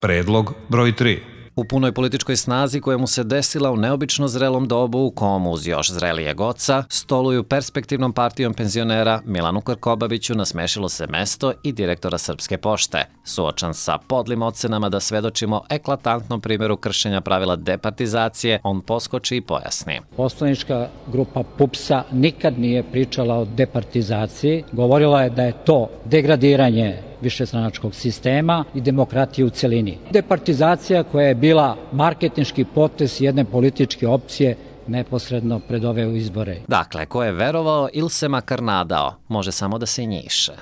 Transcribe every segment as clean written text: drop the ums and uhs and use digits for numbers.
Predlog broj 3. U punoj političkoj snazi koja mu se desila u neobično zrelom dobu u komu uz još zrelijeg oca stoluju perspektivnom partijom penzionera Milanu Krkobabiću nasmešilo se mesto i direktora Srpske pošte. Suočan sa podlim ocenama da svedočimo eklatantnom primjeru kršenja pravila departizacije, on poskoči i pojasni. Poslanička grupa PUPS-a nikad nije pričala o departizaciji, govorila je da je to degradiranje višestranačkog sistema i demokratije u celini. Departizacija koja je bila marketinški potez jedne političke opcije neposredno pred ove izbore. Dakle, ko je verovao ili se makar nadao, može samo da se njiše.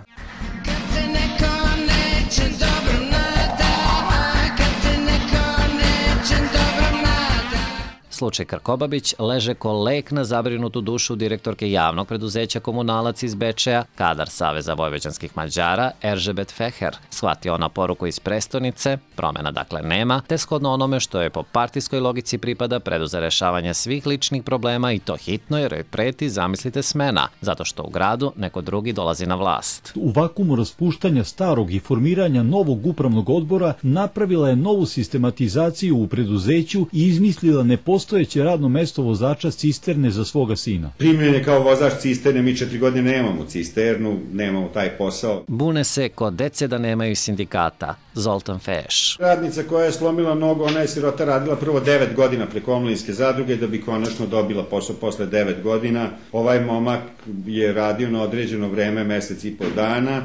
Slučaj Krkobabić leže ko lek na zabrinutu dušu direktorke javnog preduzeća Komunalac iz Bečeja, kadar Saveza vojvođanskih Mađara, Eržebet Feher. Shvatio ona poruku iz prestonice, promjena dakle nema, te shodno onome što je po partijskoj logici pripada preduze rešavanje svih ličnih problema i to hitno jer joj preti, zamislite, smena, zato što u gradu neko drugi dolazi na vlast. U vakumu raspuštanja starog i formiranja novog upravnog odbora napravila je novu sistematizaciju u preduzeću i izmislila nepostojeće radno mesto vozača cisterne za svoga sina. Primljen je kao vozač cisterne, mi 4 godine nemamo cisternu, nemamo taj posao. Bune se kod dece da nemaju sindikata. Zoltan Feš. Radnica koja je slomila nogu, ona je sirota radila prvo 9 godina preko omladinske zadruge da bi konačno dobila posao posle 9 godina. Ovaj momak je radio na određeno vreme, mesec i po dana.